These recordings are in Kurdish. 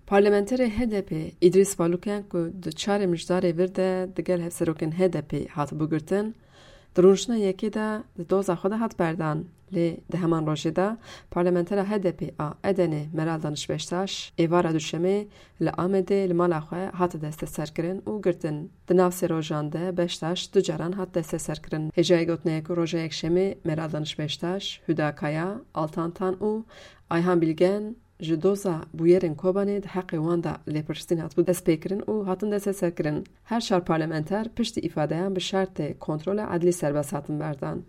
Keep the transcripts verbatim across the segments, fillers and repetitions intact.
Parlamenterê H D P Îdrîs Baluken ku di çarê Mijdarê vir de digel hevserokên H D P hatibû girtin, di rûniştina yekê de di doza xwe de hat berdan. Lê di heman rojê de parlamentera H D P a Edenê Meral Daniş Beştaş êvara Duşemê li Amedê li mala xwe hate desteserkirin û girtin. Di nav sê rojan de Beştaş du caran hat desteserkirin. Hêjayî gotinê ye ku roja Yekşemê Meral Daniş Beştaş, Huda Kaya, Altan Tan û Ayhan Bilgen ji doza bûyerên Kobanê di heqê wan de lêpirsîn hatibû destpêkirin û hatin desteserkirin. Her çar parlamenter piştî îfadeyan bi şertê kontrola edlî serbest hatin berdan.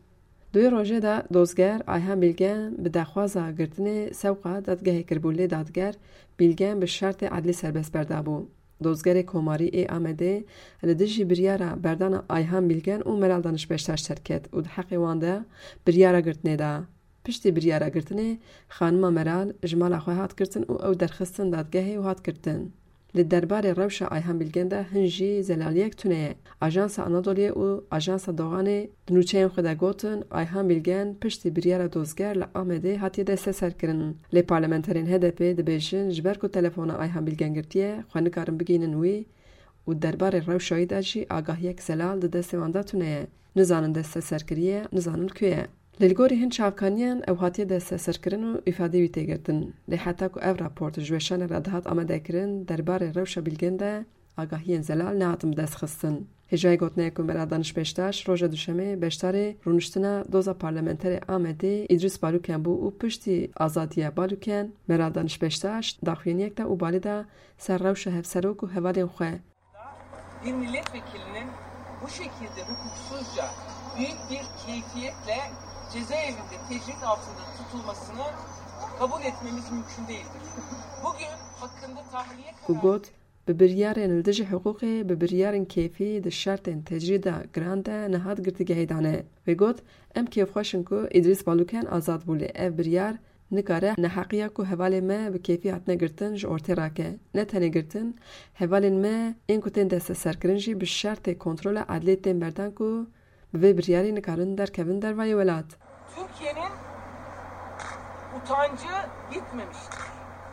Di wê rojê de dozger Ayhan Bilgen bi daxwaza girtinê sewqa dadgehê kiribû, lê dadger Bilgen bi şertê edlî serbest berdabû. Dozgerê Komarî ê Amedê li dijî biryara berdana Ayhan Bilgen û Meral Daniş Beştaş derket û di heqê wan de biryara girtinê da. Piştî biryara girtinê, xanima Meral ji mala xwe hat girtin û ew derxistin dadgehê û hat girtin. Li derbarê rewşa Ayhan Bilgen de hin jî zelaliyek tune ye. Ajansa Anadoluyê û Ajansa Doğanê di nûçeyên xwe de gotin, Ayhan Bilgen piştî biryara dozger li Amedê hatiye desteserkirin. Lê parlamenterên H D P dibêjin, ji ber ku telefona Ayhan Bilgen girtiye, xwe nikarin bigihînin wî û derbarê rewşa wî de jî agahiyek zelal di destê wan de tune ye. Nizanin desteser kiriye, nizanin ku ye. Lê li gorî hin çavkaniyan ew hatiye desteserkirin û îfadeyê wî tê girtin. Lê heta ku ev raport ji weşanê re dihat amadekirin, derbarê rewşa Bilgen de agahiyên zelal nehatin bidestxistin. Hêjayî gotinê ye ku Meral Daniş Beştaş roja Duşemê beşdarê rûniştina doza parlamenterê Amedê Îdrîs Baluken bû û piştî azadiya Baluken, Meral Daniş Beştaş daxuyaniyek da û balê da ser rewşa hevserok û hevalên xwe. Bir milletvekilinin bu şekilde hukuksuzca büyük bir keyfiyetle cezaevinde tecrit altında tutulmasını kabul etmemiz mümkün değildir. Bugün hakkında tahliye Ku kararı got, bi biryarên li dijî hiqûqê, bi biryarên keyfî di şertên tecrîda giran de nehat girtîgehê dane. Wê got, em kêfxweş in ku Îdrîs Baluken azad bû, lê ev biryar nikare neheqiya ku hevalên me bi keyfî hatine girtin ji ortê rake. Ne tenê girtin, hevalên me ên ku tên desteserkirin jî bi şertê kontrola edliyê tên berdan ku bi vê biryarî nikarin derkevin dervayê welat. Türkiye'nin utancı bitmemiştir.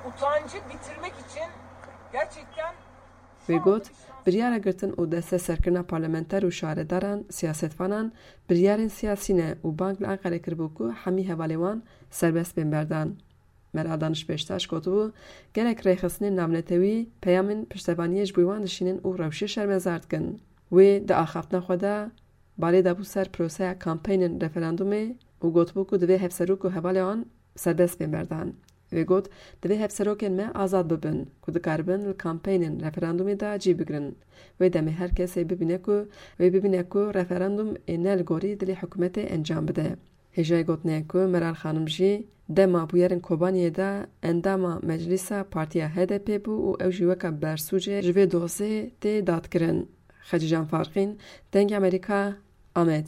Utancı bitirmek için gerçekten Wê got, biryara girtin û desteserkirina parlamenter û şaredaran, siyasetvanan, biryarên siyasî ne û bang li Enqerê kiribû ku hemî hevalên wan serbest bên berdan. Meral Daniş Beştaş gotibû, gelek rêxistinên navnetewî peyamên piştevaniyê ji bo wan dişînin û rewşê şermezar dikin. Wê di axaftina xwe de balê dabû ser proseya kampeynên referandumê û gotibû ku divê hevserok û hevalê wan serbest bên berdan. Wê got, divê hevserokên me azad bibin, ku dikaribin li kampeynên referandumê de cî bigrin. Wê demê her kesê bibîne ku, wê bibîne ku referandum ê ne li gorî dilê hikûmetê encam bide. Hêjayî gotinê ye ku Meral Xanim jî dema bûyerên Kobaniyê de endama meclîsa partiya H D P bû û ew jî weke bersûcê ji vê dosê tê dadkirin. Xecîcan Farqîn, Dengê Amerîka, Amed.